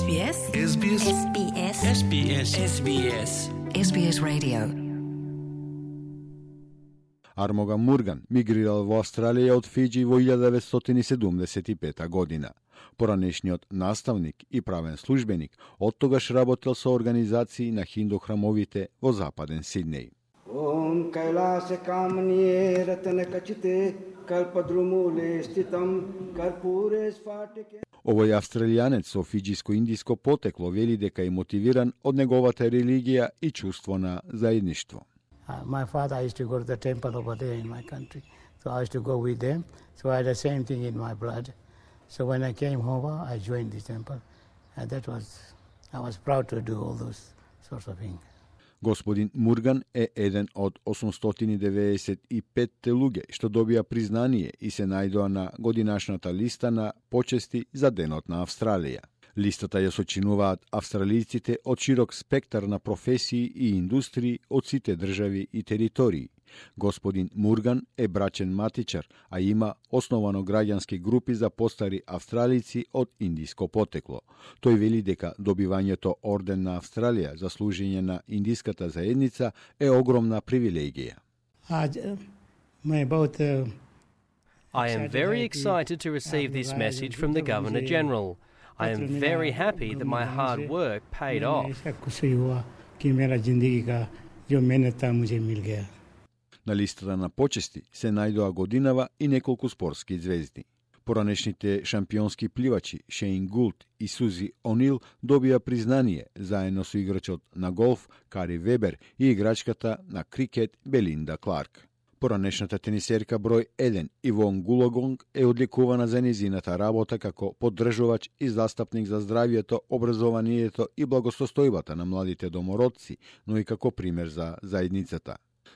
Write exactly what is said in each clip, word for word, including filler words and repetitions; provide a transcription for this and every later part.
S B S S B S S B S S B S S B S S B S Radio. Армога Мурган мигрирал во Австралија од Фиџи во илјада деветстотини седумдесет и пета година. Поранешниот наставник и правен службеник оттогаш работел со организации на хиндухрамовите во западен Сиднеј. Om Kailasa Kamaniye Ratana Kachite Kalpadrumule Stitam Karpure Sfatike. Овој австралијанец со фиџиско-индиско потекло вели дека е мотивиран од неговата религија и чувство на заедништво. Uh, my father used to go to the temple over there in my country, so I used to go with them. So I had the same thing in my blood. So when I came home, I joined the temple, and that was, I was proud to do all those sorts of things. Господин Мурган е еден од осумстотини деветдесет и пет луѓе што добија признание и се најдоа на годинашната листа на почести за Денот на Австралија. Листата ја сочинуваат австралијците од широк спектар на професии и индустрии од сите држави и територии. Господин Мурган е брачен матичар, а има основано граѓански групи за постари австралици од индиско потекло. Тој вели дека добивањето орден на Австралија за служење на индиската заедница е огромна привилегија. I am very excited to receive this message from the Governor-General. I am very happy that my hard work paid off. На листата на почести се најдоа годинава и неколку спортски звезди. Поранешните шампионски пливачи Шейн Гулт и Сузи Онил добија признание заедно со играчот на голф Кари Вебер и играчката на крикет Белинда Кларк. Поранешната тенисерка број еден Ивон Гулагонг е одликувана за незината работа како поддржувач и застапник за здравјето, образованието и благосостојбата на младите домородци, но и како пример за заедницата.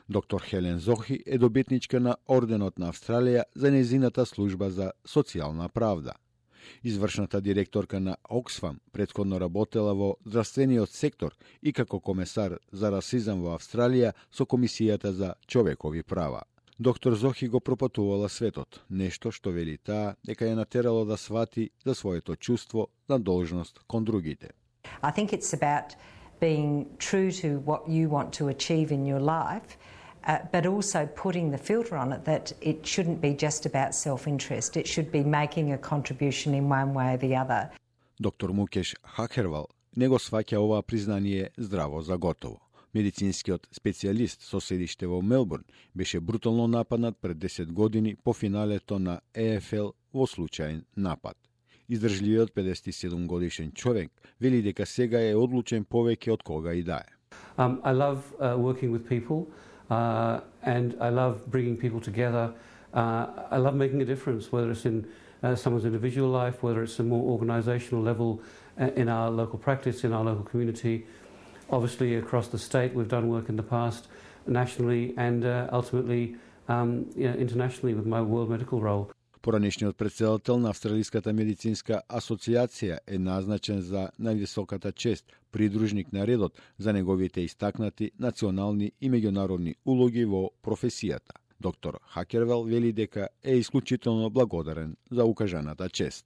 Доктор Хелен Зохи е добитничка на Орденот на Австралија за незината служба за социјална правда. Извршната директорка на Оксфам претходно работела во здравствениот сектор и како комесар за расизам во Австралија со Комисијата за човекови права. Доктор Зохи го пропатувала светот, нешто што вели таа дека ја натерало да свати за своето чувство на должност кон другите. I think it's about being true to what you want to achieve in your life, uh, but also putting the filter on it that it shouldn't be just about self-interest. It should be making a contribution in one way or the other. Доктор Мукеш Хакервал не го сваќа ова признание здраво за готово. Медицинскиот специјалист со седиште во Мелбурн беше брутално нападнат пред десет години по финалето на Е Еф Ел во случаен напад. Издржливиот педесет и седум годишен човек вели дека сега е одлучен повеќе од кога и да е. Um, I love uh, working with people uh, and I love bringing people together. Uh, I love making a difference, whether it's in uh, someone's individual life, whether it's a more organisational level uh, in our local practice, in our local community. Obviously across the state we've done work in the past, nationally and uh, ultimately um, you know, internationally with my World Medical role. Поранешниот претседател на Австралиската медицинска асоциација е назначен за највисоката чест, придружник на редот за неговите истакнати национални и меѓународни улоги во професијата. Доктор Хакервел вели дека е исклучително благодарен за укажаната чест.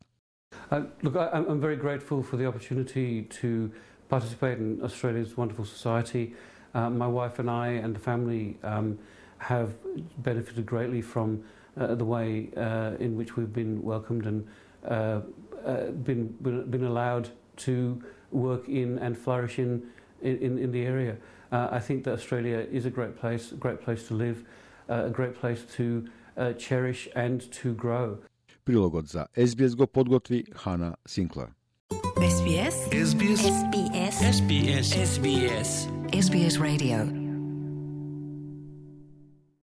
Uh, look, I, I'm very grateful for the opportunity to participate in Australia's wonderful society. Uh, my wife and I and the family um, have benefited greatly from Uh, the way uh, in which we've been welcomed and uh, uh, been been allowed to work in and flourish in in, in the area. Uh, I think that Australia is a great place, a great place to live, uh, a great place to uh, cherish and to grow. Прилогот за Ес Би Ес го подготви Хана Синклер. S B S S B S S B S S B S S B S Radio.